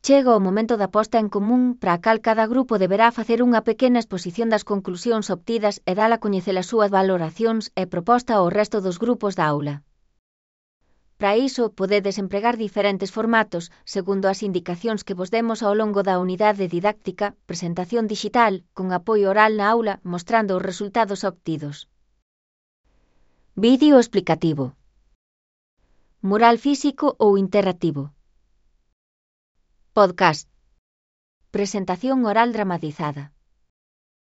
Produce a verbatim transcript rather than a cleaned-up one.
Chega o momento da posta en común para a cal cada grupo deberá facer unha pequena exposición das conclusións obtidas e dar a coñecer as súas valoracións e proposta ao resto dos grupos da aula. Para iso, podedes empregar diferentes formatos segundo as indicacións que vos demos ao longo da unidade didáctica, presentación digital, con apoio oral na aula mostrando os resultados obtidos. Vídeo explicativo. Mural físico ou interactivo. Podcast. Presentación oral dramatizada.